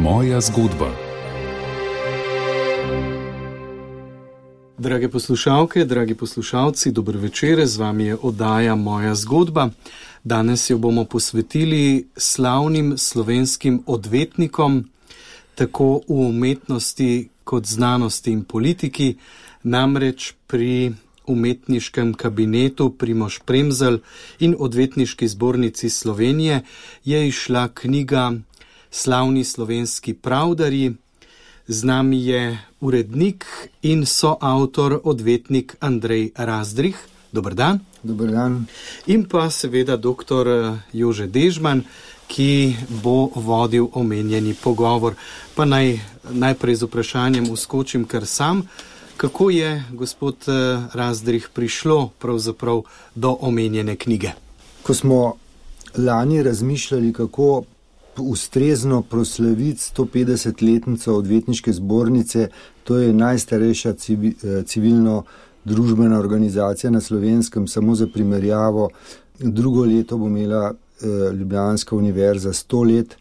Moja zgodba. Drage poslušalke, dragi poslušalci, dober večer, z vami je oddaja Moja zgodba. Danes jo bomo posvetili slavnim slovenskim odvetnikom, tako v umetnosti kot znanosti in politiki, namreč pri umetniškem kabinetu Primož Premzl in Odvetniški zbornici Slovenije je izšla knjiga Slavni slovenski pravdarji. Z nami je urednik in soavtor odvetnik Andrej Razdrih. Dober dan. Dober dan. In pa seveda dr. Jože Dežman, ki bo vodil omenjeni pogovor. Pa najprej z vprašanjem uskočim kar sam. Kako je, gospod Razdrih, prišlo pravzaprav do omenjene knjige? Ko smo lani razmišljali, kako ustrezno proslaviti 150-letnico odvetniške zbornice, to je najstarejša civilno-družbena organizacija na Slovenskem, samo za primerjavo, drugo leto bo imela Ljubljanska univerza 100 let,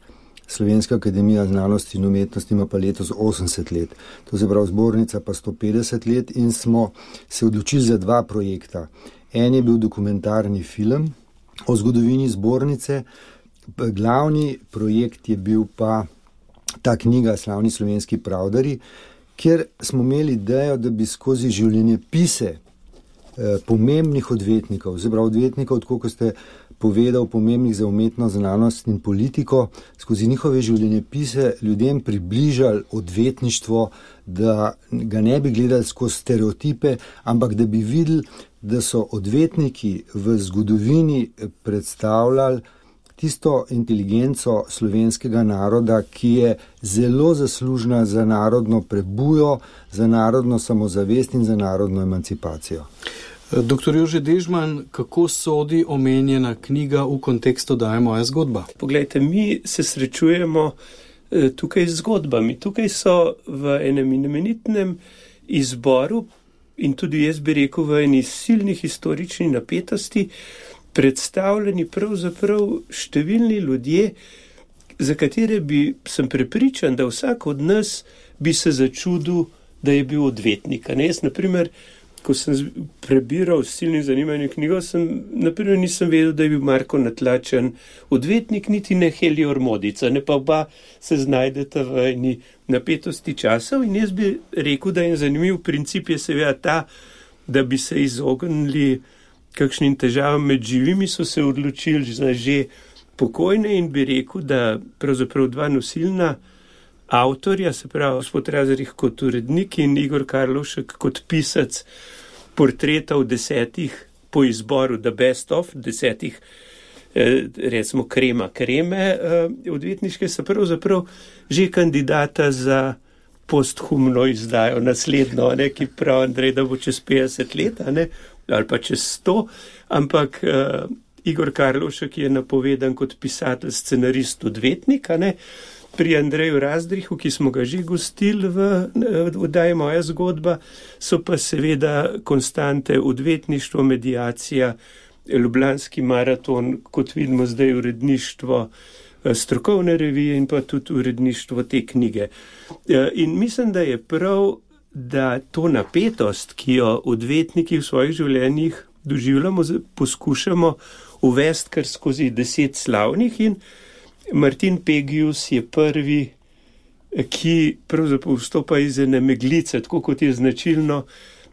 Slovenska akademija znanosti in umetnosti ima pa letos 80 let. To se pravi, zbornica pa 150 let in smo se odločili za dva projekta. En je bil dokumentarni film o zgodovini zbornice, glavni projekt je bil pa ta knjiga Slavni slovenski pravdarji, kjer smo imeli idejo, da bi skozi življenjepise pomembnih odvetnikov, se pravi odvetnikov, tako kot ste povedal, pomembnih za umetnost, znanost in politiko, skozi njihove življenjepise ljudem približali odvetništvo, da ga ne bi gledali skozi stereotipe, ampak da bi videli, da so odvetniki v zgodovini predstavljali tisto inteligenco slovenskega naroda, ki je zelo zaslužna za narodno prebujo, za narodno samozavest in za narodno emancipacijo. Dr. Jože Dežman, kako sodi omenjena knjiga v kontekstu oddaje Moja zgodba? Poglejte, mi se srečujemo tukaj z zgodbami. Tukaj so v enem imenitnem izboru in tudi jaz bi rekel v eni silni historični napetosti predstavljeni pravzaprav številni ljudje, za katere sem prepričan, da vsak od nas bi se začudil, da je bil odvetnik. Jaz, naprimer, ko sem prebiral s silnim zanimanjem knjigo, naprimer nisem vedel, da je bil Marko Natlačen odvetnik, niti ne Helior Modica, ne pa oba se znajdeta v eni napetosti časov in jaz bi rekel, da je zanimiv princip je seveda ta, da bi se izognili kakšnim težavam med živimi, so se odločili za že pokojne in bi rekel, da pravzaprav dva nosilna avtorja, se pravi gospod Razdrih kot urednik in Igor Karlovšek kot pisac portretov 10 po izboru The Best of 10, recimo kreme odvetniške, so pravzaprav že kandidata za posthumno izdajo naslednjo, ki pravi Andrej, da bo čez 50 let, ali pa čez 100, ampak Igor Karlovšek je napovedan kot pisatelj, scenarist, odvetnik, Pri Andreju Razdrihu, ki smo ga že gostili v oddaji Moja zgodba, so pa seveda konstante odvetništvo, mediacija, Ljubljanski maraton, kot vidimo zdaj uredništvo strokovne revije in pa tudi uredništvo te knjige. In mislim, da je prav, da to napetost, ki jo odvetniki v svojih življenjih doživljamo, poskušamo uvesti kar skozi 10 slavnih in Martin Pegius je prvi, ki pravzaprav vstopa iz ene meglice, tako kot je značilno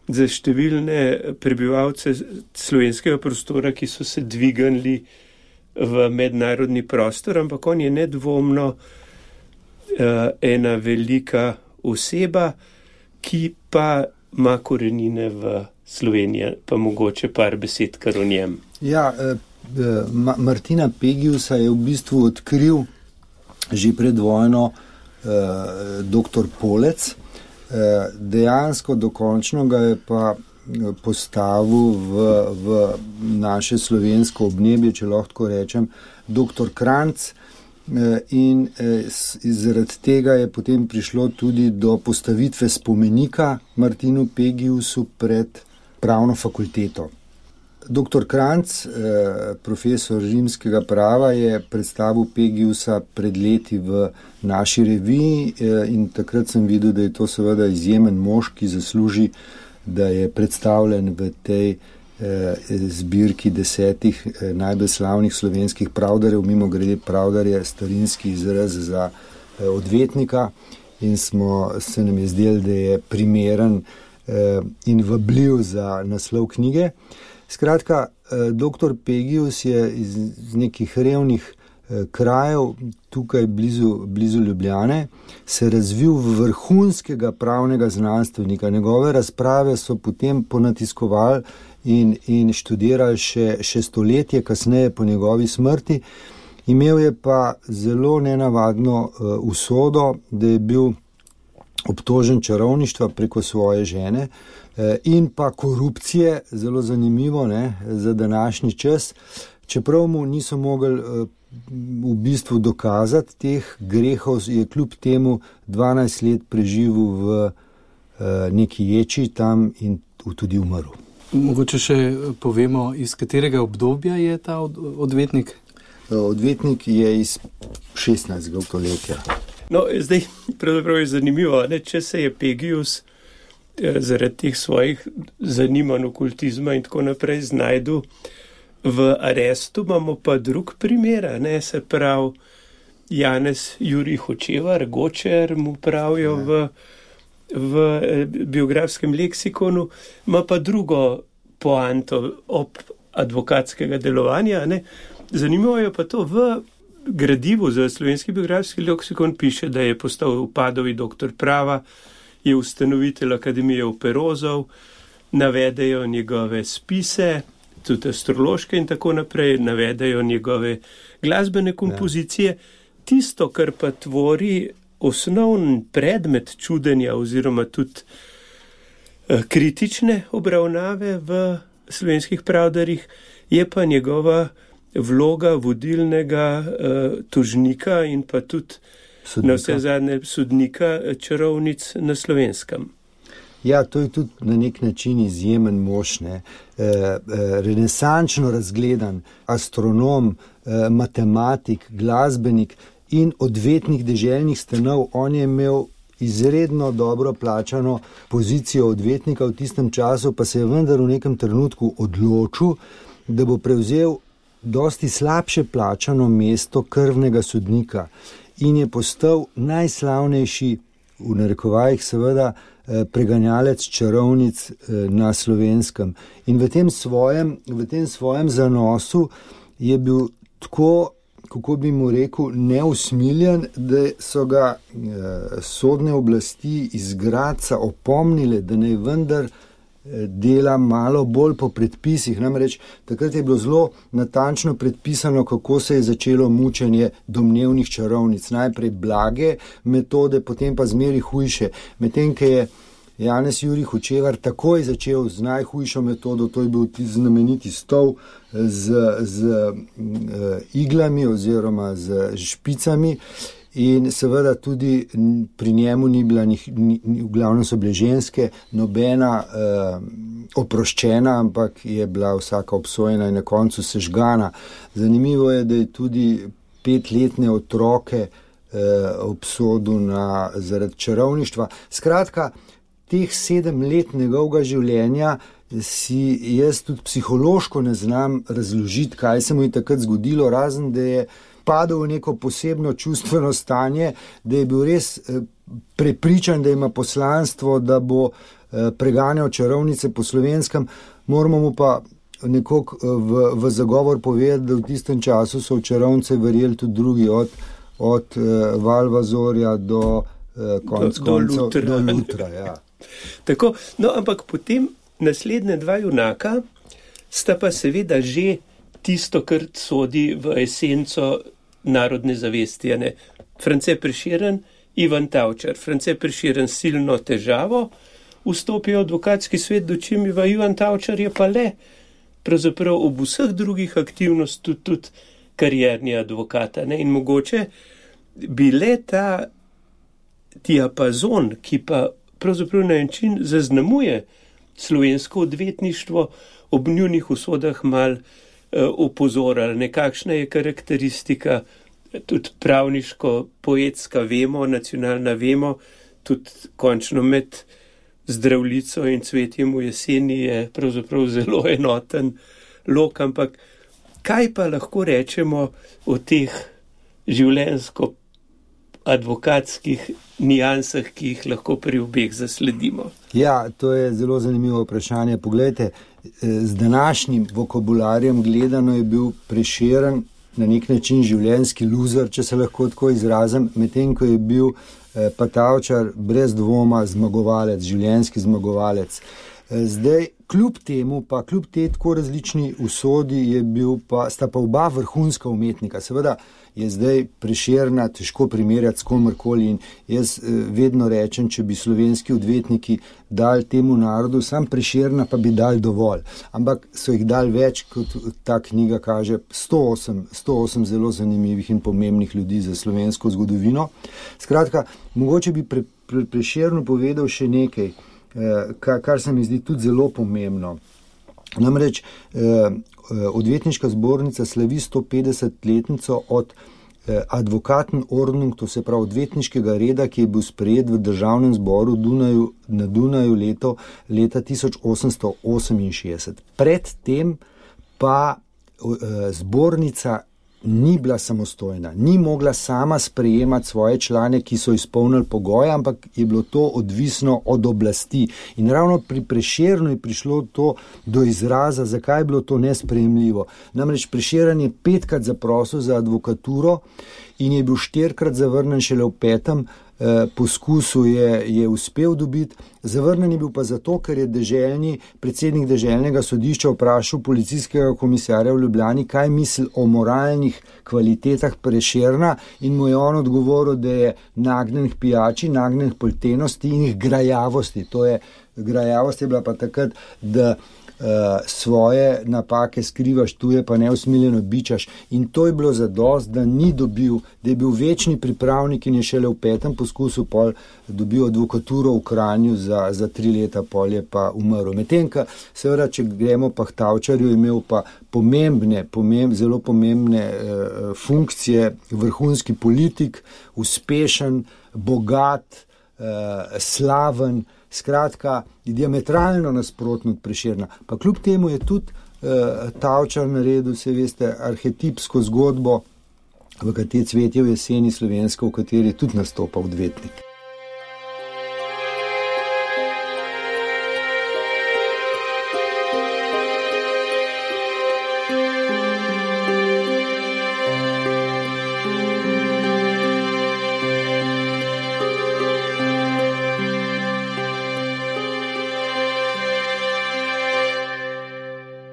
za številne prebivalce slovenskega prostora, ki so se dvignili v mednarodni prostor, ampak on je nedvomno ena velika oseba, ki pa ima korenine v Sloveniji, pa mogoče par besed kar o njem. Ja, Martina Pegiusa je v bistvu odkril že pred vojno dr. Polec. Dejansko dokončno ga je pa postavil v naše slovensko obnebje, če lahko rečem, dr. Kranjc, in zaradi tega je potem prišlo tudi do postavitve spomenika Martinu Pegiusu pred pravno fakulteto. Dr. Kranjc, profesor rimskega prava, je predstavil Pegiusa pred leti v naši reviji in takrat sem videl, da je to seveda izjemen mož, ki zasluži, da je predstavljen v tej zbirki 10 najbolj slavnih slovenskih pravdarjev. Mimo grede, pravdar je starinski izraz za odvetnika in se nam je zdelo, da je primeren in vabljiv za naslov knjige. Skratka, dr. Pegius je iz nekih revnih krajev, tukaj blizu Ljubljane, se razvil v vrhunskega pravnega znanstvenika. Njegove razprave so potem ponatiskovali in študirali še stoletje kasneje po njegovi smrti. Imel je pa zelo nenavadno usodo, da je bil obtožen čarovništva preko svoje žene in pa korupcije, zelo zanimivo, ne, za današnji čas, čeprav mu niso mogli v bistvu dokazati teh grehov, je kljub temu 12 let preživel v neki ječi tam in tudi umrl. Mogoče še povemo, iz katerega obdobja je ta odvetnik? Odvetnik je iz 16. stoletja. No, zdaj pravzaprav je zanimivo, ne? Če se je Pegius zaradi teh svojih zanimanj okultizma in tako naprej znajdu v arestu, imamo pa drug primer, ne, se pravi Janez Jurij Hočevar, Gočer mu pravijo v biografskem leksikonu, ima pa drugo poanto ob advokatskega delovanja, ne. Zanimivo je pa to, v gradivu za slovenski biografski leksikon piše, da je postal upadovi doktor prava, je ustanovitelj Akademije operozov, navedejo njegove spise, tudi astrološke in tako naprej, navedejo njegove glasbene kompozicije. Tisto, kar pa tvori osnovni predmet čudenja oziroma tudi kritične obravnave v slovenskih pravdarjih, je pa njegova vloga vodilnega tožnika in pa tudi sodnika. Na vse zadnje sodnika čarovnic na Slovenskem. Ja, to je tudi na nek način izjemen mož, ne. Renesančno razgledan astronom, matematik, glasbenik in odvetnik deželnih stanov. On je imel izredno dobro plačano pozicijo odvetnika v tistem času, pa se je vendar v nekem trenutku odločil, da bo prevzel dosti slabše plačano mesto krvnega sodnika in je postal najslavnejši, v narekovajih seveda, preganjalec čarovnic na Slovenskem. In v tem svojem zanosu je bil tako, kako bi mu rekel, neusmiljen, da so ga sodne oblasti iz Gradca opomnile, da naj vendar dela malo bolj po predpisih. Namreč takrat je bilo zelo natančno predpisano, kako se je začelo mučenje domnevnih čarovnic. Najprej blage metode, potem pa zmeri hujše. Medtem, ko je Janez Jurij Hočevar takoj začel z najhujšo metodo, to je bil znameniti stol z iglami oziroma z špicami. In seveda tudi pri njemu ni bila, v glavnem so bile ženske, nobena oproščena, ampak je bila vsaka obsojena in na koncu sežgana. Zanimivo je, da je tudi 5-letne otroke obsodil zaradi čarovništva. Skratka, teh 7 let njegovega življenja si jaz tudi psihološko ne znam razložiti, kaj se mu je takrat zgodilo, razen da je padel v neko posebno čustveno stanje, da je bil res prepričan, da ima poslanstvo, da bo preganjal čarovnice po Slovenskem. Moramo mu pa nekako v zagovor povedati, da v tistem času so v čarovnice verjeli tudi drugi, od Valvazorja do Lutra. Ja. Tako, no, ampak potem naslednja 2 junaka sta pa seveda že tisto, kar sodi v esenco narodne zavesti. France Prešeren, Ivan Tavčar. France Prešeren silno težavo vstopi v advokatski svet, dočim Ivan Tavčar je pa le pravzaprav ob vseh drugih aktivnostih tudi karierni advokat. In mogoče bi le ta diapazon, ki pa pravzaprav na način zaznamuje slovensko odvetništvo ob njunih usodah mal opozorili, nekakšna je karakteristika, tudi pravniško, poetska vemo, nacionalna vemo, tudi končno med Zdravljico in Cvetjem v jeseni je pravzaprav zelo enoten lok, ampak kaj pa lahko rečemo o teh življenjsko-advokatskih nijansah, ki jih lahko pri obeh zasledimo? Ja, to je zelo zanimivo vprašanje. Poglejte, z današnjim vokabularjem gledano je bil Prešeren na nek način življenjski loser, če se lahko tako izrazim, medtem ko je bil pa Tavčar brez dvoma zmagovalec, življenjski zmagovalec. Zdaj, kljub temu, pa kljub tej tako različni usodi sta pa oba vrhunska umetnika. Seveda je zdaj Prešerna težko primerjati s komerkoli in jaz vedno rečem, če bi slovenski odvetniki dali temu narodu, sam Prešerna pa bi dali dovolj. Ampak so jih dali več, kot ta knjiga kaže, 108 zelo zanimivih in pomembnih ljudi za slovensko zgodovino. Skratka, mogoče bi Prešernu povedal še nekaj, kar se mi zdi tudi zelo pomembno. Namreč odvetniška zbornica slavi 150-letnico od Advokatenordnung, to se pravi odvetniškega reda, ki je bil sprejet v Državnem zboru na Dunaju leta 1868. Predtem pa zbornica ni bila samostojna, ni mogla sama sprejemati svoje člane, ki so izpolnili pogoje, ampak je bilo to odvisno od oblasti. In ravno pri Prešernu je prišlo to do izraza, zakaj je bilo to nesprejemljivo. Namreč Prešeren je 5krat zaprosil za advokaturo in je bil 4krat zavrnen, šele v 5. poskusu je uspel dobiti. Zavrnen je bil pa zato, ker je predsednik deželnega sodišča vprašal policijskega komisarja v Ljubljani, kaj misli o moralnih kvalitetah Prešerna, in mu je on odgovoril, da je nagnjen k pijači, nagnjen k poltenosti in k grajavosti. Grajavost je bila pa takrat, da svoje napake skrivaš, tuje pa neusmiljeno bičaš, in to je bilo zadost, da ni dobil, da je bil večni pripravnik in je šele v 5. poskusu pol dobil advokaturo v Kranju za 3 leta, pol je pa umrl. Medtem, seveda, če gremo pa k Tavčarju, je imel pa zelo pomembne funkcije, vrhunski politik, uspešen, bogat, slaven, skratka, diametralno nasprotno od Prešerna. Pa kljub temu je tudi Tavčar naredil, se veste, arhetipsko zgodbo, v kateri Cvetje v jeseni slovensko, v kateri je tudi nastopal odvetnik.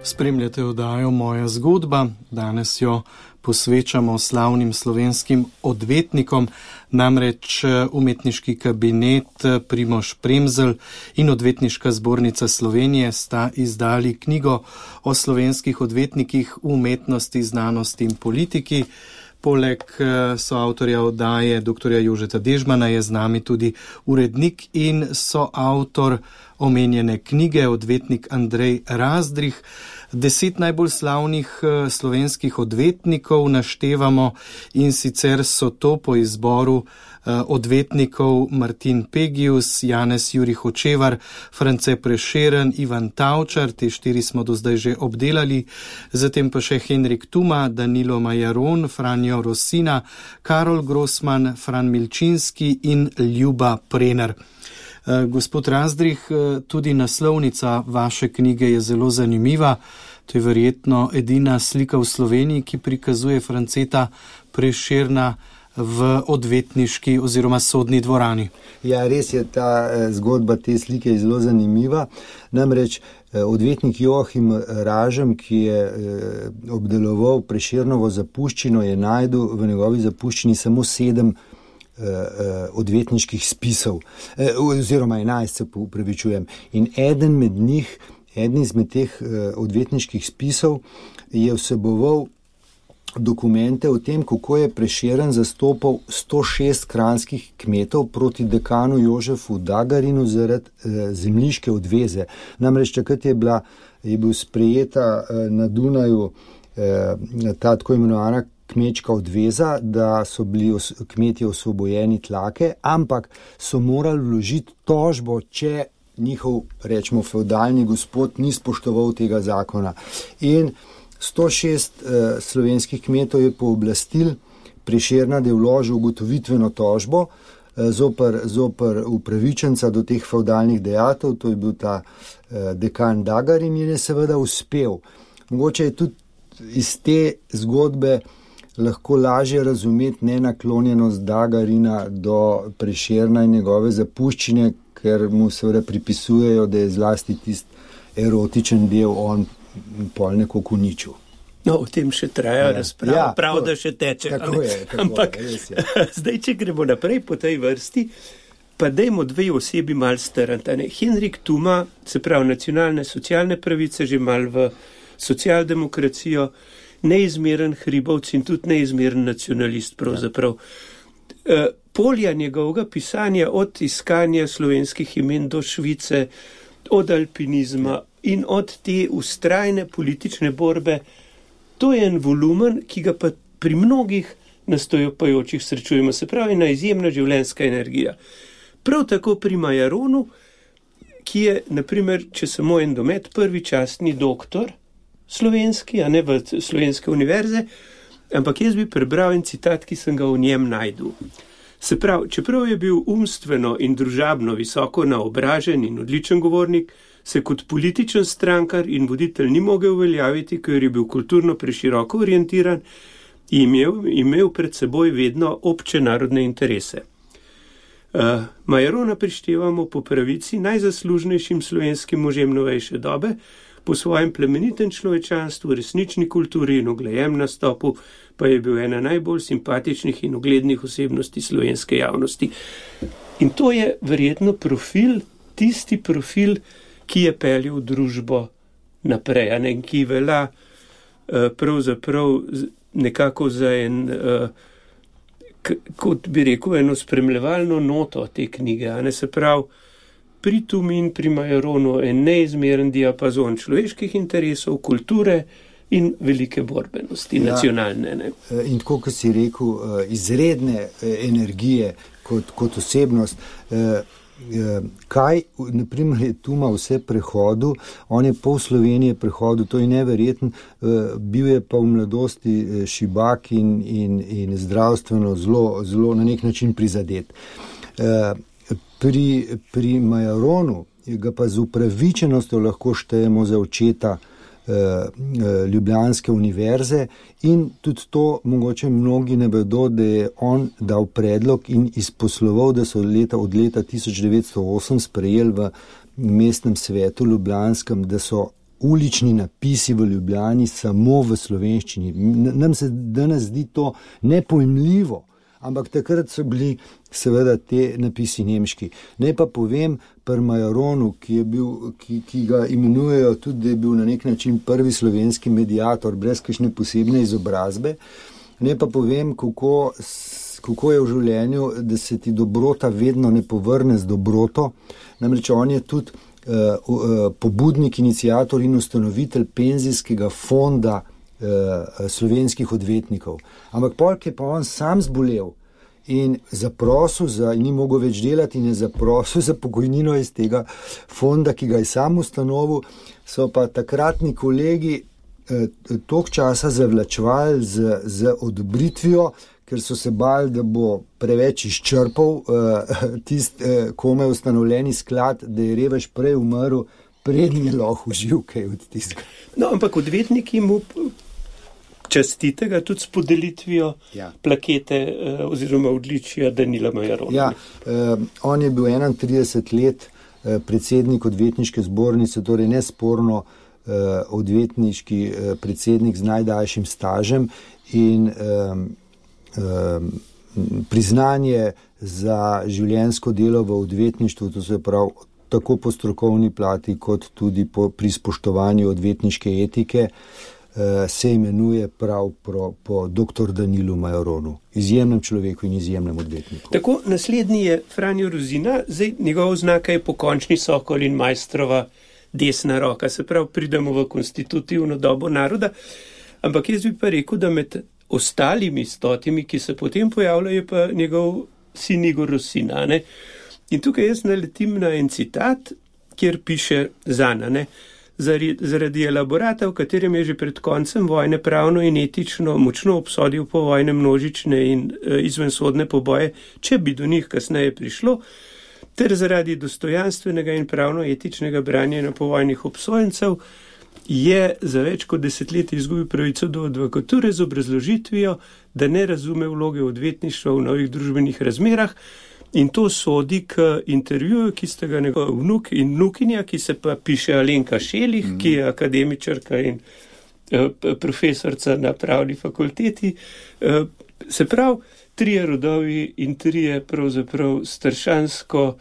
Spremljate oddajo Moja zgodba, danes jo posvečamo slavnim slovenskim odvetnikom, namreč umetniški kabinet Primož Premzl in Odvetniška zbornica Slovenije sta izdali knjigo o slovenskih odvetnikih v umetnosti, znanosti in politiki. Poleg soavtorja oddaje dr. Jožeta Dežmana je z nami tudi urednik in soavtor omenjene knjige, odvetnik Andrej Razdrih. 10 najbolj slavnih slovenskih odvetnikov naštevamo, in sicer so to po izboru odvetnikov Martin Pegius, Janez Jurij Hočevar, France Prešeren, Ivan Tavčar, te 4 smo do zdaj že obdelali, zatem pa še Henrik Tuma, Danilo Majaron, Franjo Rosina, Karol Grossman, Fran Milčinski in Ljuba Prener. Gospod Razdrih, tudi naslovnica vaše knjige je zelo zanimiva. To je verjetno edina slika v Sloveniji, ki prikazuje Franceta Prešerna v odvetniški oziroma sodni dvorani. Ja, res je, ta zgodba te slike je zelo zanimiva. Namreč odvetnik Joachim Ražem, ki je obdeloval Prešernovo zapuščino, je našel v njegovi zapuščini samo 7 odvetniških spisov, oziroma 11, se upravičujem. In eden izmed teh odvetniških spisov je vseboval dokumente o tem, kako je Prešeren zastopal 106 kranjskih kmetov proti dekanu Jožefu Dagarinu zaradi zemljiške odveze. Namreč takrat je bil sprejeta na Dunaju ta tako imenovana kmečka odveza, da so bili kmetje osvobojeni tlake, ampak so morali vložiti tožbo, če njihov, rečemo, feudalni gospod ni spoštoval tega zakona. In 106 slovenskih kmetov je pooblastil Prešerna, da je vložil ugotovitveno tožbo zoper upravičenca do teh feudalnih dejatev, to je bil ta dekan Dagarin, in je seveda uspel. Mogoče je tudi iz te zgodbe lahko lažje razumeti nenaklonjenost Dagarina do Prešerna in njegove zapuščine, ker mu seveda pripisujejo, da je zlasti tisti erotičen del on pol nekako uničil. No, o tem še traja razprava, prav da še teče. Ampak zdaj, če gremo naprej po tej vrsti, pa dajmo dve osebi mal strniti. Henrik Thuma, se pravi nacionalne socialne pravice, že mal v socialdemokracijo, neizmeren hribovc in tudi neizmeren nacionalist pravzaprav. Polja njegovega pisanja od iskanja slovenskih imen do Švice, od alpinizma in od te ustrajne politične borbe, to je en volumen, ki ga pa pri mnogih nastopajočih srečujemo, se pravi ena izjemna življenjska energija. Prav tako pri Majaronu, ki je, naprimer, če samo en domet, prvi častni doktor slovenski, a ne v Slovenske univerze, ampak jaz bi prebral en citat, ki sem ga v njem najdel. Se pravi, čeprav je bil umstveno in družabno visoko naobražen in odličen govornik, se kot političen strankar in voditelj ni mogel uveljaviti, ker je bil kulturno preširoko orientiran in imel pred seboj vedno obče narodne interese. Majarona prištevamo po pravici najzaslužnejšim slovenskim možem novejše dobe, po svojem plemenitem človečanstvu, resnični kulturi in uglejem nastopu, pa je bil ena najbolj simpatičnih in uglednih osebnosti slovenske javnosti. In to je verjetno tisti profil, ki je peljal družbo naprej, ki velja pravzaprav nekako za kot bi rekel, eno spremljevalno noto te knjige, se pravi, pri Thumi in pri Majaronu en neizmeren diapazon človeških interesov, kulture in velike borbenosti, nacionalne. Ne? In tako, kot si rekel, izredne energije kot osebnost. Kaj, naprimer, je Thuma vse prehodil, on je pol Slovenije prehodil, to je neverjetno, bil je pa v mladosti šibak in zdravstveno zelo na nek način prizadet. Pri Majaronu ga pa z upravičenostjo lahko štejemo za očeta Ljubljanske univerze in tudi to mogoče mnogi ne vedo, da je on dal predlog in izposloval, da so od leta 1908 sprejeli v mestnem svetu ljubljanskem, da so ulični napisi v Ljubljani samo v slovenščini. Nam se danes zdi to nepojmljivo, ampak takrat so bili seveda te napisi nemški. Naj pa povem pri Majaronu, ki ga imenujejo tudi, da je bil na nek način prvi slovenski mediator, brez kakšne posebne izobrazbe. Naj pa povem, kako je v življenju, da se ti dobrota vedno ne povrne z dobroto. Namreč on je tudi pobudnik, iniciator in ustanovitelj penzijskega fonda slovenskih odvetnikov. Ampak polk je pa on sam zbolel in zaprosil in ni mogel več delati in je zaprosil za pokojnino iz tega fonda, ki ga je sam ustanovil, so pa takratni kolegi toliko časa zavlačevali z odobritvijo, ker so se bali, da bo preveč izčrpal kome ustanovljeni sklad, da je revež prej umrl, prednji je lahko uživ kaj od tistega. No, ampak odvetniki mu častite ga tudi s podelitvijo plakete oziroma odličja Danila Majarona. Ja, on je bil 31 let predsednik odvetniške zbornice, torej nesporno odvetniški predsednik z najdaljšim stažem in priznanje za življenjsko delo v odvetništvu, to se pravi tako po strokovni plati, kot tudi pri spoštovanju odvetniške etike, se imenuje prav po dr. Danilu Majoronu, izjemnem človeku in izjemnem odvetniku. Tako, naslednji je Franjo Rozina, zdaj njegova oznaka je pokončni sokol in majstrova desna roka, se pravi, pridemo v konstitutivno dobo naroda, ampak jaz bi pa rekel, da med ostalimi 100, ki se potem pojavljajo, je pa njegov sin Igor Rosina, ne? In tukaj jaz naletim na en citat, kjer piše Zana, ne? Zaradi elaborata, v katerem je že pred koncem vojne pravno in etično močno obsodil povojne množične in izvensodne poboje, če bi do njih kasneje prišlo, ter zaradi dostojanstvenega in pravno etičnega branja povojnih obsojencev, je za več kot 10 let izgubil pravico do advokature z obrazložitvijo, da ne razume vloge odvetništva v novih družbenih razmerah, in to sodi k intervjuju, ki sta ga njegov vnuk in vnukinja, ki se pa piše Alenka Šelih, ki je akademičarka in profesorca na pravni fakulteti. Se pravi, 3 rodovi in 3 pravzaprav staršansko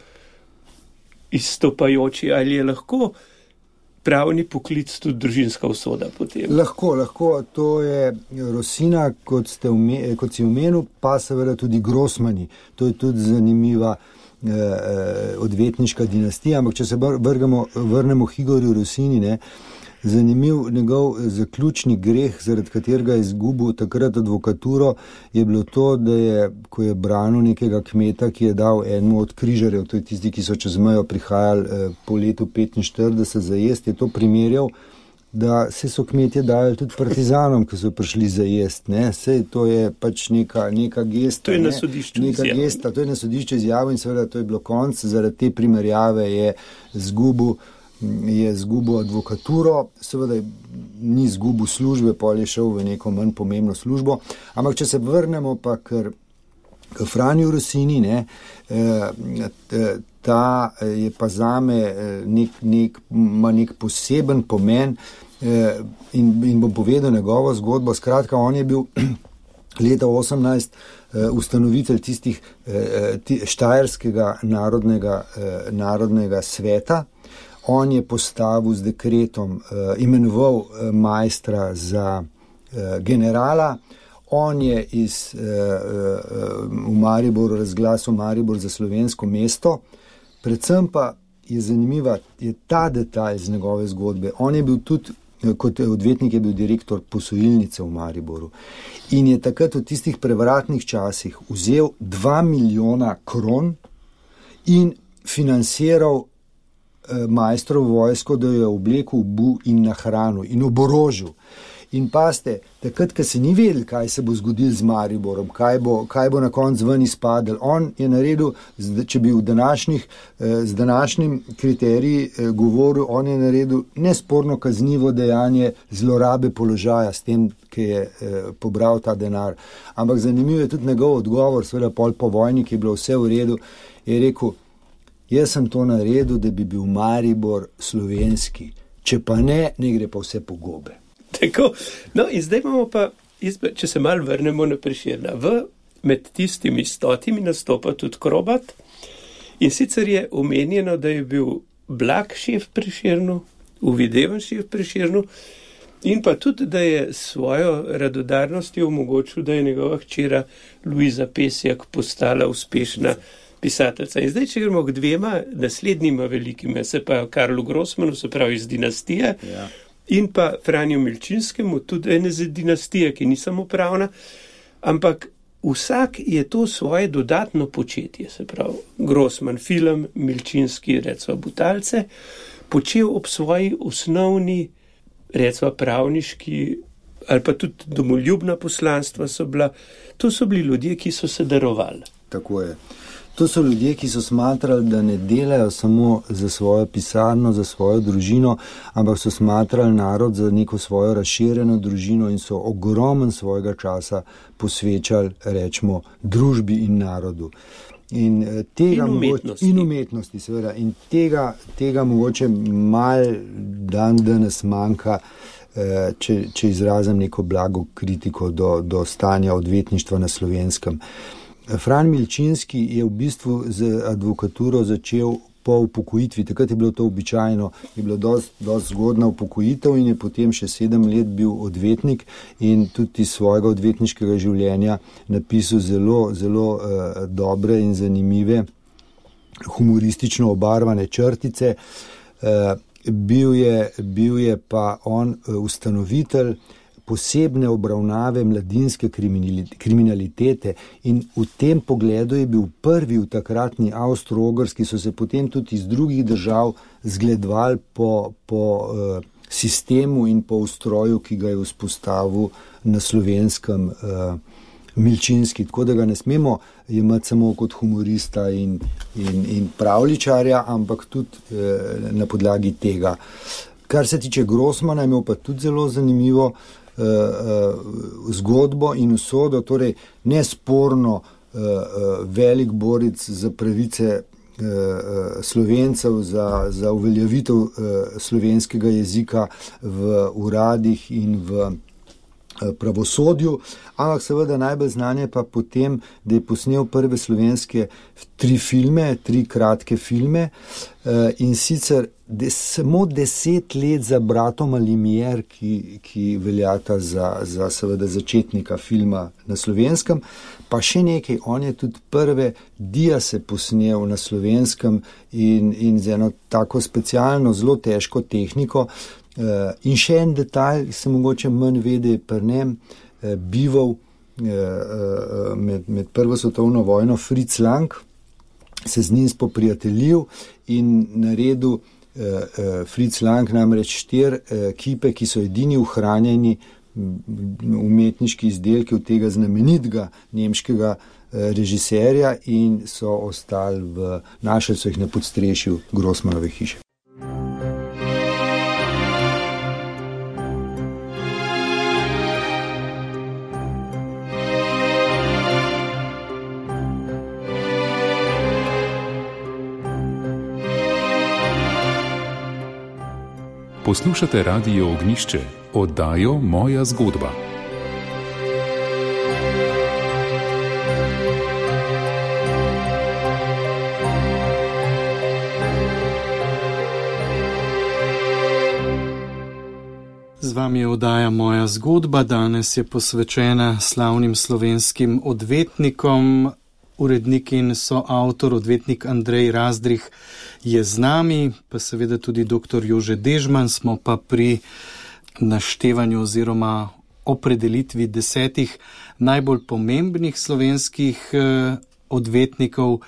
izstopajoči, ali je lahko pravni poklic tudi družinska usoda potem? Lahko. To je Rosina, kot si omenil, pa seveda tudi Grossmani. To je tudi zanimiva odvetniška dinastija, ampak če se vrnemo k Igorju Rosini, ne, zanimiv njegov zaključni greh, zaradi katerega je izgubil takrat advokaturo, je bilo to, da je, ko je branil nekega kmeta, ki je dal enemu od križarjev, to je tisti, ki so čez mejo prihajali po letu 45 za jest, je to primerjal, da se so kmetje dali tudi partizanom, ki so prišli za jest, ne, sej to je pač neka gesta. To je na sodišču izjavo. To je na sodišču izjavo in seveda to je bilo konc, zaradi te primerjave je zgubil advokaturo, seveda ni zgubil službe, pol je šel v neko manj pomembno službo, ampak če se vrnemo pa k Franju Rosini, ne, ta je pa zame ima nek poseben pomen in bom povedal njegovo zgodbo. Skratka, on je bil leta 18 ustanovitelj tistih štajerskega narodnega sveta. On je postavil z dekretom, imenoval majstra za generala, on je v Mariboru razglasil Maribor za slovensko mesto, predvsem pa je zanimiva je ta detalj z njegove zgodbe. On je bil tudi, kot odvetnik je bil direktor posojilnice v Mariboru in je takrat v tistih prevratnih časih vzel 2 milijona kron in financiral majstrov vojsko, da jo je oblekel, obuv in nahranil in oborožil. In paste, takrat, ko se ni vedel, kaj se bo zgodilo z Mariborom, kaj bo na koncu ven izpadel, on je naredil, če bi z današnjim kriteriji govoril, on je naredil nesporno kaznivo dejanje zlorabe položaja s tem, ki je pobral ta denar. Ampak zanimiv je tudi njegov odgovor, seveda pol po vojni, ki je bilo vse v redu, je rekel, jaz sem to naredil, da bi bil Maribor slovenski, če pa ne gre pa vse po gobe. Tako, no in zdaj imamo pa, če se malo vrnemo na Prešerna, med tistimi 100 nastopa tudi Krobat in sicer je omenjeno, da je bil blag šef Prešernu, uvideven šef Prešernu in pa tudi, da je svojo radodarnostjo omogočil, da je njegova hčera Luiza Pesjak postala uspešna pisateljca. In zdaj, če gremo k 2 naslednjima velikima, se pa Karlu Grossmanu, se pravi iz dinastije, ja. In pa Franju Milčinskemu, tudi ene z dinastije, ki ni samo pravna, ampak vsak je to svoje dodatno početje, se pravi Grossman film, Milčinski, recimo Butalce, počel ob svoji osnovni, recimo pravniški ali pa tudi domoljubna poslanstva so bila, to so bili ljudje, ki so se darovali. Tako je. To so ljudje, ki so smatrali, da ne delajo samo za svojo pisarno, za svojo družino, ampak so smatrali narod za neko svojo razširjeno družino in so ogromen svojega časa posvečali, rečemo, družbi in narodu. In umetnosti, seveda. In tega mogoče malo danes manjka, če izrazim neko blago kritiko do stanja odvetništva na Slovenskem. Fran Milčinski je v bistvu z advokaturo začel po upokojitvi. Takrat je bilo to običajno, je bilo dosti zgodna upokojitev in je potem še 7 let bil odvetnik in tudi iz svojega odvetniškega življenja napisal zelo dobre in zanimive humoristično obarvane črtice. Bil je pa on ustanovitelj posebne obravnave mladinske kriminalitete in v tem pogledu je bil prvi v takratni Avstro-Ogrski, so se potem tudi iz drugih držav zgledovali po sistemu in po ustroju, ki ga je vzpostavil na Slovenskem Milčinski, tako da ga ne smemo imeti samo kot humorista in pravljičarja, ampak tudi na podlagi tega. Kar se tiče Grossmana, je imel pa tudi zelo zanimivo zgodbo in usodo, torej nesporno velik borec za pravice Slovencev, za uveljavitev slovenskega jezika v uradih in v pravosodju, ampak seveda najbolj znanje pa potem, da je posnel prve slovenske 3 kratke filme in sicer samo 10 let za bratoma Limier, ki veljata za seveda začetnika filma na Slovenskem, pa še nekaj, on je tudi prve diase posnel na Slovenskem in z eno tako specialno, zelo težko tehniko. In še en detalj, ki se mogoče manj vede, pri njem bival med Prvo svetovno vojno Fritz Lang, se z njim spoprijateljil in naredil Fritz Lang namreč 4 kipe, ki so edini ohranjeni umetniški izdelki od tega znamenitega nemškega režiserja in so ostali našli so jih na podstrešju Grossmanove hiše. Poslušate Radio Ognjišče, oddajo Moja zgodba. Z vami je oddaja Moja zgodba, danes je posvečena slavnim slovenskim odvetnikom. Urednik in soavtor, odvetnik Andrej Razdrih je z nami, pa seveda tudi dr. Jože Dežman, smo pa pri naštevanju oziroma opredelitvi 10 najbolj pomembnih slovenskih odvetnikov.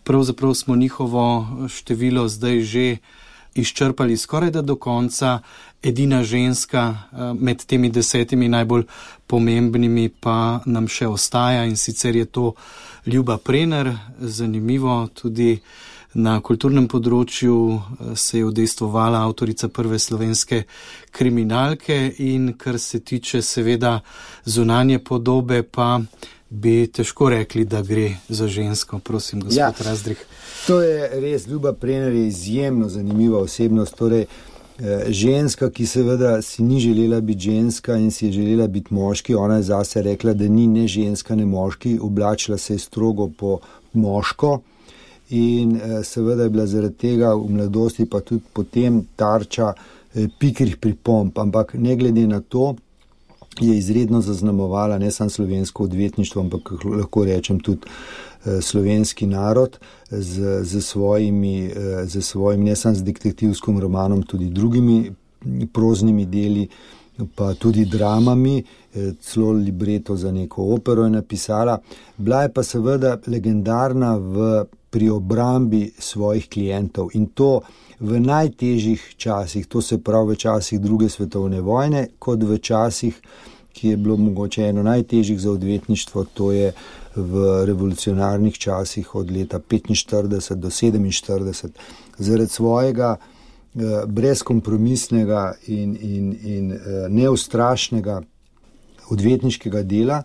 Pravzaprav smo njihovo število zdaj že izčrpali skoraj da do konca. Edina ženska med temi 10 najbolj pomembnimi pa nam še ostaja in sicer je to Ljuba Prener. Zanimivo, tudi na kulturnem področju se je udejstvovala avtorica prve slovenske kriminalke in kar se tiče seveda zunanje podobe, pa bi težko rekli, da gre za žensko. Prosim, gospod Razdrih. To je res, Ljuba Prener je izjemno zanimiva osebnost, torej ženska, ki seveda si ni želela biti ženska in si je želela biti moški. Ona je zase rekla, da ni ne ženska, ne moški, oblačila se je strogo po moško in seveda je bila zaradi tega v mladosti pa tudi potem tarča pikrih pripomb, ampak ne glede na to je izredno zaznamovala ne samo slovensko odvetništvo, ampak lahko rečem tudi slovenski narod z svojim ne samo z detektivskim romanom, tudi drugimi proznimi deli, pa tudi dramami, celo libreto za neko opero je napisala. Bila je pa seveda legendarna pri obrambi svojih klientov in to v najtežjih časih, to se pravi v časih druge svetovne vojne, kot v časih, ki je bilo mogoče eno najtežjih za odvetništvo, to je v revolucionarnih časih od leta 45 do 47. Zaradi svojega brezkompromisnega in neustrašnega odvetniškega dela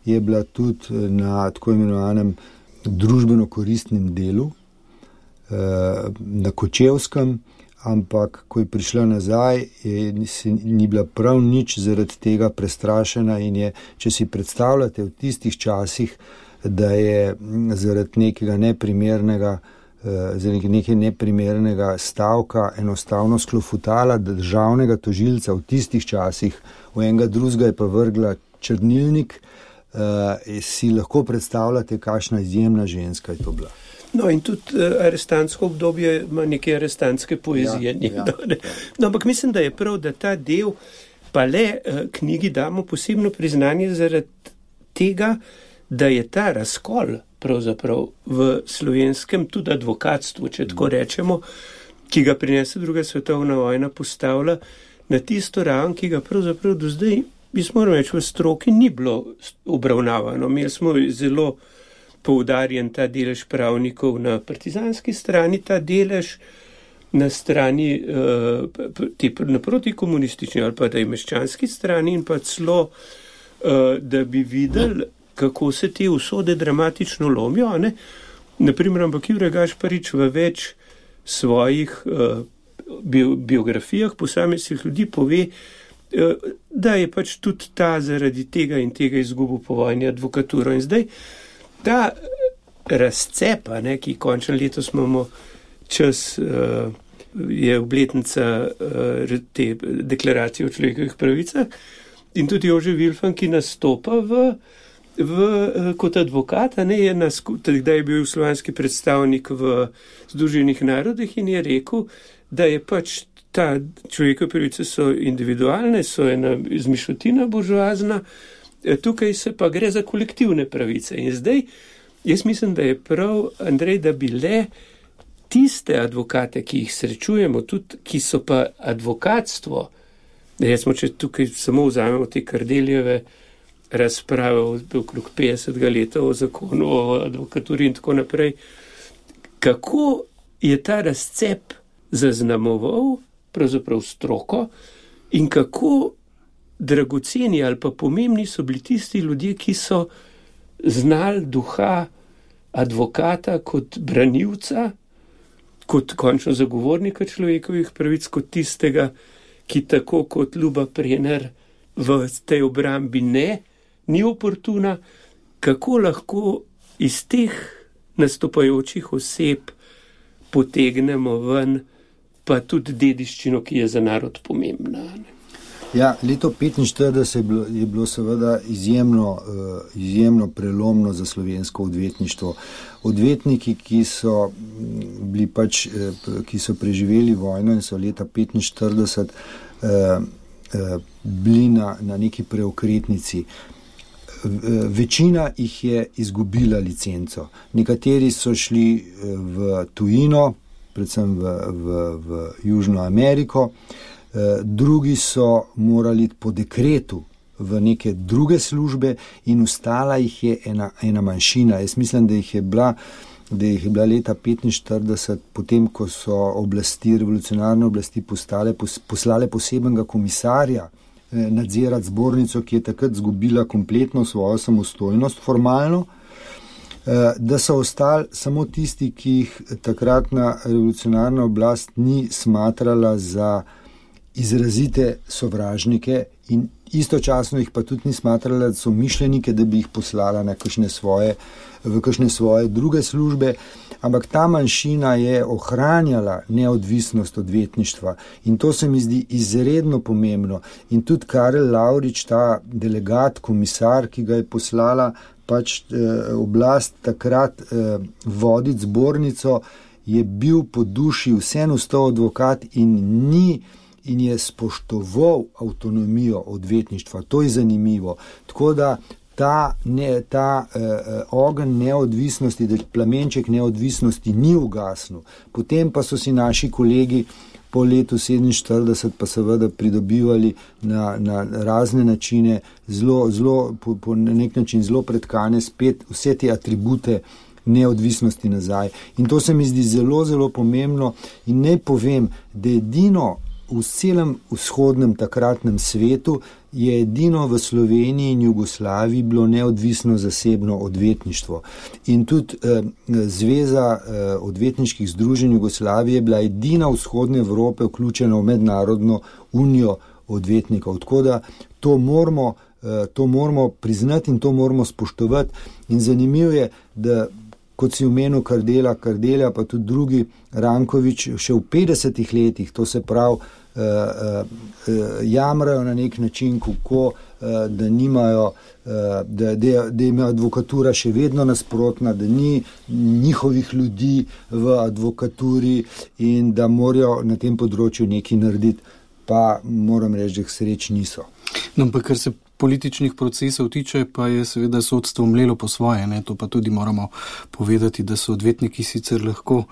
je bila tudi na tako imenovanem družbeno koristnem delu na Kočevskem, ampak ko je prišla nazaj, ni bila prav nič zaradi tega prestrašena in je, če si predstavljate v tistih časih, da je zaradi nekega neprimernega zaradi nekaj neprimernega stavka enostavno sklofutala državnega tožilca v tistih časih, v enega drugega je pa vrgla črnilnik, si lahko predstavljate, kakšna izjemna ženska je to bila. No in tudi arestantsko obdobje ima neke arestantske poezije. No, ampak mislim, da je prav, da ta del pa le knjigi damo posebno priznanje zaradi tega, da je ta razkol pravzaprav v slovenskem tudi advokatstvu, če tako rečemo, ki ga prinese druga svetovna vojna, postavlja na tisto raven, ki ga pravzaprav do zdaj, moram reči, v stroki ni bilo obravnavano. Imeli smo zelo poudarjen ta delež pravnikov na partizanski strani, ta delež na strani na protikomunistični ali pa da je meščanski strani in pa celo, da bi videli, kako se te usode dramatično lomijo. Naprimer, ampak Jure Gašparič v več svojih biografijah posameznih ljudi pove, da je pač tudi ta zaradi tega in tega izgubil po vojni advokaturo. In zdaj ta razcepa, ki končno letos imamo čas, je obletnica te deklaracije o človekovih pravicah in tudi Jože Vilfan, ki nastopa kot advokat, da je bil slovanski predstavnik v Združenih narodih in je rekel, da je pač ta človekove pravice so individualne, so ena izmišljotina buržoazna, tukaj se pa gre za kolektivne pravice. In zdaj, jaz mislim, da je prav, Andrej, da bi le tiste advokate, ki jih srečujemo, tudi ki so pa advokatstvo, recimo, če tukaj samo vzamemo te Kardeljeve razprave okrog 50. leta o zakonu o advokaturi in tako naprej, kako je ta razcep zaznamoval pravzaprav stroko in kako dragoceni ali pa pomembni so bili tisti ljudje, ki so znali duha advokata kot branilca, kot končno zagovornika človekovih pravic, kot tistega, ki tako kot Ljuba Prener v tej obrambi ni oportuna, kako lahko iz teh nastopajočih oseb potegnemo ven pa tudi dediščino, ki je za narod pomembna. Ja, leto 1945 je bilo seveda izjemno prelomno za slovensko odvetništvo. Odvetniki, ki so bili ki so preživeli vojno in so leta 1945 bili na neki preokretnici. Večina jih je izgubila licenco. Nekateri so šli v tujino, predvsem v Južno Ameriko, drugi so morali po dekretu v neke druge službe in ostala jih je ena manjšina. Jaz mislim, da jih je bila leta 1945, potem ko so revolucionarne oblasti poslale posebnega komisarja nadzirati zbornico, ki je takrat izgubila kompletno svojo samostojnost formalno, da so ostali samo tisti, ki jih takratna revolucionarna oblast ni smatrala za izrazite sovražnike in istočasno jih pa tudi ni smatrala, da so mišljenike, da bi jih poslala na kakšne svoje druge službe, ampak ta manjšina je ohranjala neodvisnost odvetništva in to se mi zdi izredno pomembno. In tudi Karel Lavrič, ta delegat, komisar, ki ga je poslala oblast takrat voditi zbornico, je bil po duši vseeno ostal advokat in je spoštoval avtonomijo odvetništva. To je zanimivo. Tako da ta ogenj neodvisnosti, plamenček neodvisnosti ni ugasnil. Potem pa so si naši kolegi po letu 1947 pa seveda pridobivali na razne načine, po nek način zelo pretkane spet vse te atribute neodvisnosti nazaj. In to se mi zdi zelo, zelo pomembno in naj povem, da edino v celem vzhodnem takratnem svetu je edino v Sloveniji in Jugoslaviji bilo neodvisno zasebno odvetništvo. In tudi Zveza odvetniških združenj Jugoslavije je bila edina v vzhodne Evrope vključena v mednarodno unijo odvetnikov. Tako da to moramo priznati in to moramo spoštovati. In zanimivo je, da kot si omenil Kardelja, pa tudi drugi, Ranković, še v 50 letih, to se pravi, jamrajo na nek način, kako da nimajo, da ima advokatura še vedno nasprotna, da ni njihovih ljudi v advokaturi in da morajo na tem področju nekaj narediti, pa moram reči, da jih sreč niso. No, pa kar se političnih procesov tiče, pa je seveda sodstvo mlelo po svoje, ne? To pa tudi moramo povedati, da so odvetniki sicer lahko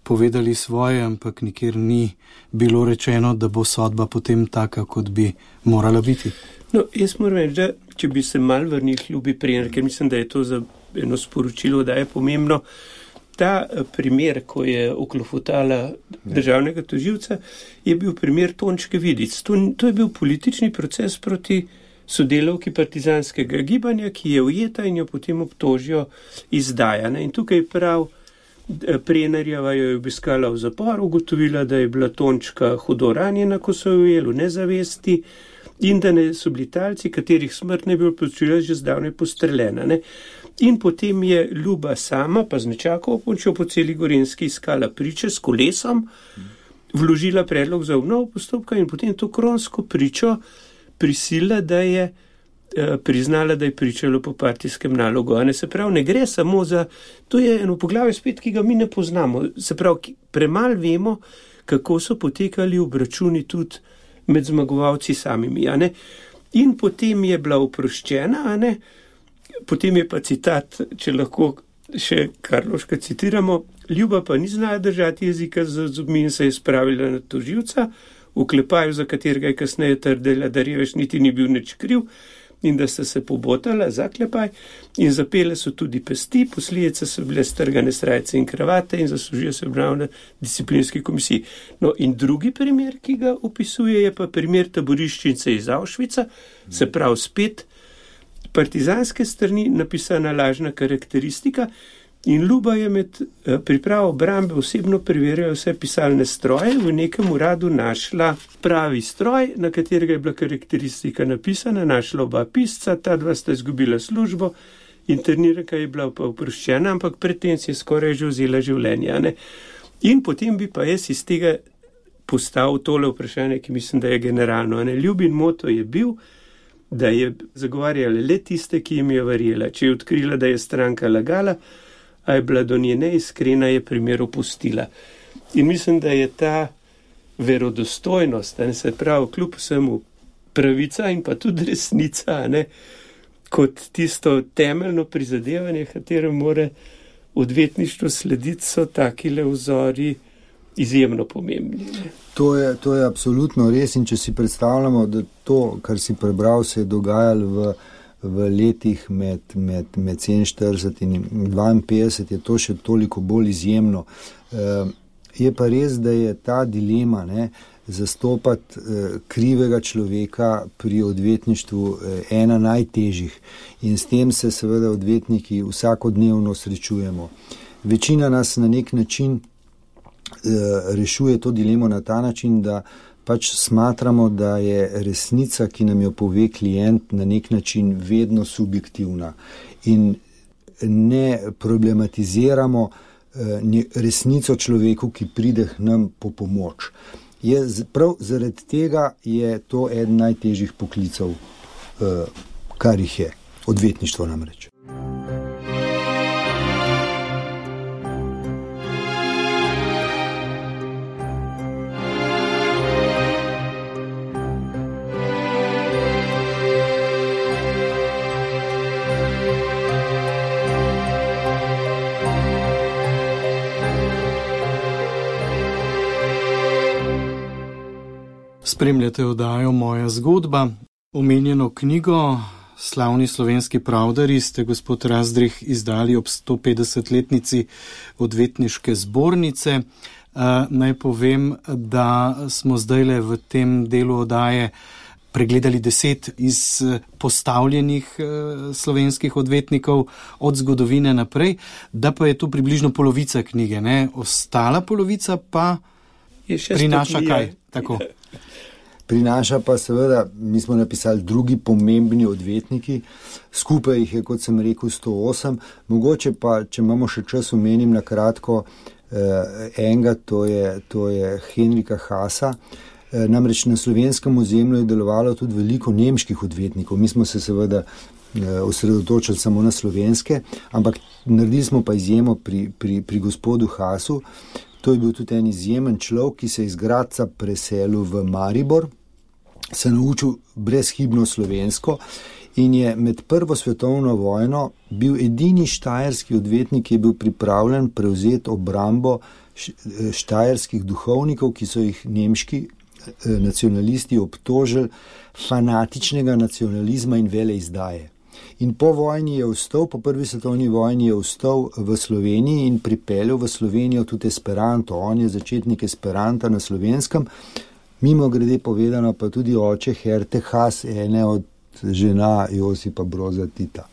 povedali svoje, ampak nikjer ni bilo rečeno, da bo sodba potem taka, kot bi morala biti. No, jaz moram reči, da če bi se mal vrnil ljubi primer, ker mislim, da je to za eno sporočilo, da je pomembno, ta primer, ko je oklofutala državnega tožilca, je bil primer Tončke Vidic. To je bil politični proces proti sodelavki partizanskega gibanja, ki je ujeta in jo potem obtožijo izdajane. In tukaj prav Prenarjeva jo je obiskala v zaporu, ugotovila, da je bila Tončka hudo ranjena, ko so jo ujeli v nezavesti in da so bili talci, katerih smrt ne bi bilo počela, že zdavnaj postreljena. Ne? In potem je Ljuba sama, pa z nečakovo pomočjo po celi Gorenjski iskala priče s kolesom, vložila predlog za obnovo postopka in potem to kronsko pričo prisila, da je priznala, da je pričalo po partijskem nalogu. Se pravi, ne gre samo za, to je eno poglavje spet, ki ga mi ne poznamo. Se pravi, premalo vemo, kako so potekali obračuni tudi med zmagovalci samimi. In potem je bila oproščena, potem je pa citat, če lahko še Karlovška citiramo, Ljuba pa ni znala držati jezika z zobmi in se je spravila na tožilca, v klepaju, za katerega je kasneje trdila, da Revež niti ni bil nič kriv in da sta se pobotala za klepaj in zapele so tudi pesti, posledice so bile strgane srajce in kravate in zaslužijo se obravnavo na disciplinski komisiji. No in drugi primer, ki ga opisuje, je pa primer taboriščnice iz Auschwitza, se pravi spet partizanske strani napisana lažna karakteristika in Ljuba je med pripravo obrambe osebno preverjala vse pisalne stroje, v nekem uradu našla pravi stroj, na katerega je bila karakteristika napisana, našla oba pisca, ta dva sta izgubila službo, interniranka je bila pa oproščena, ampak predtem si je skoraj že vzela življenje. In potem bi pa jaz iz tega postavil tole vprašanje, ki mislim, da je generalno. Ljubin moto je bil, da je zagovarjala le tiste, ki jim je verjela. Če je odkrila, da je stranka lagala, a je bila do nje neiskrena, je primer opustila. In mislim, da je ta verodostojnost, se pravi, kljub vsemu pravica in pa tudi resnica, kot tisto temeljno prizadevanje, katero mora odvetništvo slediti, so takile vzori izjemno pomembni. To je absolutno res in če si predstavljamo, da to, kar si prebral, se je dogajalo v letih med 47 in 52, je to še toliko bolj izjemno. Je pa res, da je ta dilema, zastopati krivega človeka pri odvetništvu ena najtežjih in s tem se seveda odvetniki vsakodnevno srečujemo. Večina nas na nek način rešuje to dilemo na ta način, da pač smatramo, da je resnica, ki nam jo pove klient, na nek način vedno subjektivna in ne problematiziramo resnico človeku, ki pride k nam po pomoč. Prav zaradi tega je to eden najtežjih poklicev, kar jih je, odvetništvo namreč. Spremljate oddajo Moja zgodba. Omenjeno knjigo Slavni slovenski pravdari ste, gospod Razdrih, izdali ob 150-letnici odvetniške zbornice. Naj povem, da smo zdajle v tem delu oddaje pregledali 10 izpostavljenih slovenskih odvetnikov od zgodovine naprej, da pa je to približno polovica knjige, Ostala polovica pa prinaša kaj? Tako. Prinaša pa seveda, mi smo napisali drugi pomembni odvetniki, skupaj jih je, kot sem rekel, 108, mogoče pa, če imamo še čas, omenim na kratko enega, to je Henrika Hasa. Namreč na slovenskem ozemlju je delovalo tudi veliko nemških odvetnikov. Mi smo se seveda osredotočili samo na slovenske, ampak naredili smo pa izjemo pri gospodu Hasu. To je bil tudi en izjemen človek, ki se je iz Gradca preselil v Maribor, se naučil brezhibno slovensko in je med Prvo svetovno vojno bil edini štajerski odvetnik, ki je bil pripravljen prevzeti obrambo štajerskih duhovnikov, ki so jih nemški nacionalisti obtožili fanatičnega nacionalizma in veleizdaje. In po vojni je ostal, po prvi svetovni vojni je ostal v Sloveniji in pripeljal v Slovenijo tudi Esperanto. On je začetnik Esperanta na slovenskem, mimo grede povedano pa tudi oče Herte Has, ene od žena Josipa Broza Tita.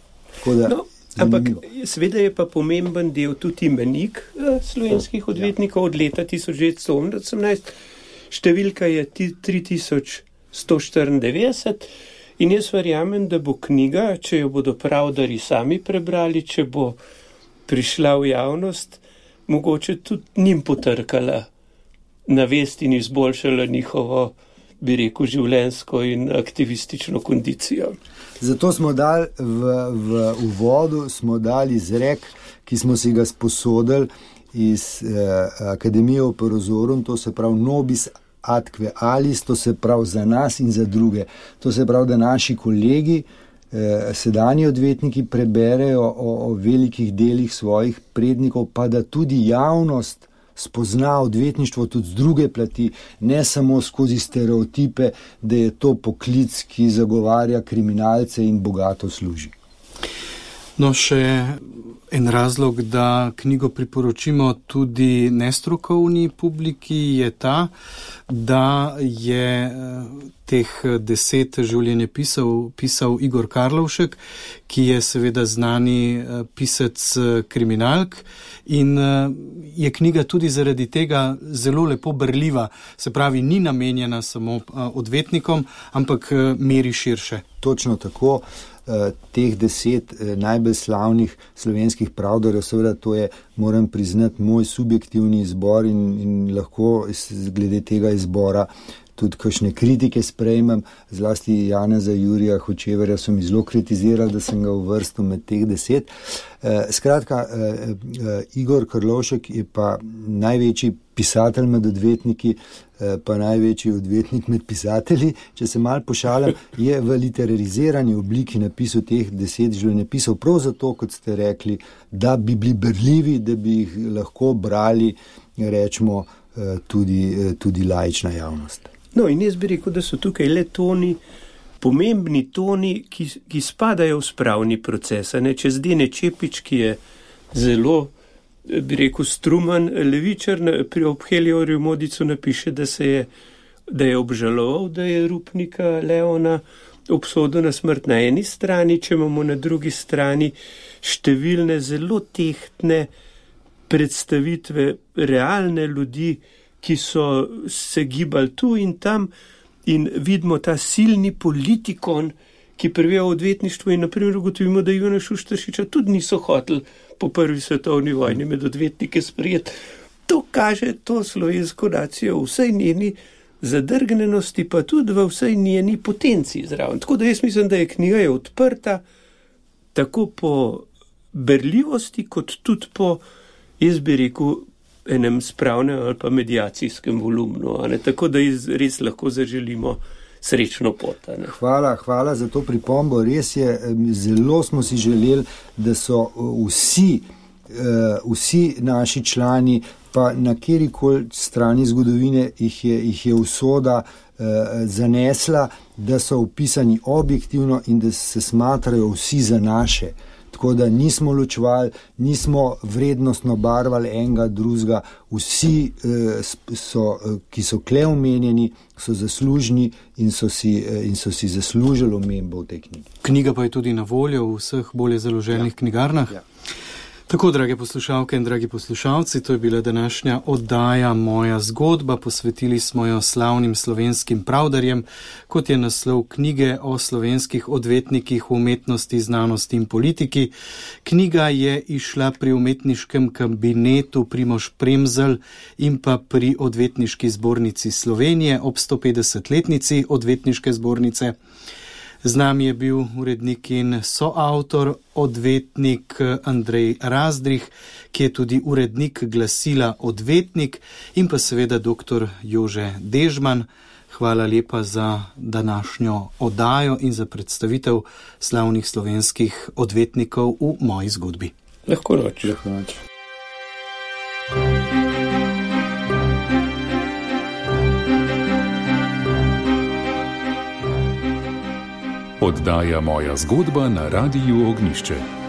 Ampak seveda je pa pomemben del tudi imenik slovenskih odvetnikov od leta 1918. Številka je 3194 in jaz verjamem, da bo knjiga, če jo bodo pravdari sami prebrali, če bo prišla v javnost, mogoče tudi njim potrkala na vest in izboljšala njihovo, bi rekel, življenjsko in aktivistično kondicijo. Zato smo dali v uvodu izrek, ki smo si ga sposodili iz Akademije Operozorum, to se pravi nobis adque alis, to se pravi za nas in za druge. To se pravi, da naši kolegi, sedanji odvetniki preberejo o velikih delih svojih prednikov, pa da tudi javnost spozna odvetništvo tudi z druge plati, ne samo skozi stereotipe, da je to poklic, ki zagovarja kriminalce in bogato služi. No, še en razlog, da knjigo priporočimo tudi nestrokovni publiki, je ta, da je teh 10 življenjepisov pisal Igor Karlovšek, ki je seveda znani pisec kriminalk in je knjiga tudi zaradi tega zelo lepo berljiva, se pravi, ni namenjena samo odvetnikom, ampak meri širše. Točno tako. Teh 10 najbolj slavnih slovenskih pravdarjev, seveda to je, moram priznati, moj subjektivni izbor in lahko glede tega izbora tudi kakšne kritike sprejmem, zlasti Janeza Jurija Hočevarja so mi zelo kritizirali, da sem ga uvrstil med teh 10. Skratka, Igor Karlovšek je pa največji pisatelj med odvetniki, pa največji odvetnik med pisatelji. Če se malo pošalim, je v literarizirani obliki napisal teh 10 življenjepisov, prav zato, kot ste rekli, da bi bili berljivi, da bi jih lahko brali, rečemo, tudi laična javnost. No, in jaz bi rekel, da so tukaj le toni, pomembni toni, ki spadajo v spravni proces. Če Zdene Čepič, ki je zelo, bi rekel, struman levičar, pri Obheljorju Modicu napiše, da je obžaloval, da je Rupnika Leona obsodil na smrt na eni strani, če imamo na drugi strani številne zelo tehtne predstavitve realne ljudi, ki so se gibali tu in tam in vidimo ta silni politikon, ki previja v odvetništvu in naprimer ugotovimo, da Ivana Šuštaršiča tudi niso hoteli po prvi svetovni vojni med odvetnike sprejeti. To kaže to slovensko nacijo v vsej njeni zadrgnenosti, pa tudi v vsej njeni potenciji zraven. Tako da jaz mislim, da je knjiga odprta tako po berljivosti, kot tudi po, jaz bi rekel, enem spravnem ali pa medijacijskem volumnu, tako da res lahko zaželimo srečno pot. Hvala za to pripombo. Res je, zelo smo si želeli, da so vsi naši člani, pa na kjerikoli strani zgodovine jih je usoda zanesla, da so opisani objektivno in da se smatrajo vsi za naše. Tako da nismo ločevali, nismo vrednostno barvali enega drugega, vsi, ki so kle omenjeni, so zaslužni in so si zaslužili omembo v tej knjigi. Knjiga pa je tudi na voljo v vseh bolje založenih knjigarnah. Ja. Tako, drage poslušalke in dragi poslušalci, to je bila današnja oddaja Moja zgodba. Posvetili smo jo slavnim slovenskim pravdarjem, kot je naslov knjige o slovenskih odvetnikih v umetnosti, znanosti in politiki. Knjiga je izšla pri umetniškem kabinetu Primož Premzl in pa pri Odvetniški zbornici Slovenije ob 150-letnici Odvetniške zbornice. Z nami je bil urednik in soavtor, odvetnik Andrej Razdrih, ki je tudi urednik glasila Odvetnik, in pa seveda dr. Jože Dežman. Hvala lepa za današnjo oddajo in za predstavitev slavnih slovenskih odvetnikov v moji zgodbi. Lahko noč. Lahko noč. Oddaja Moja zgodba na Radiu Ognjišče.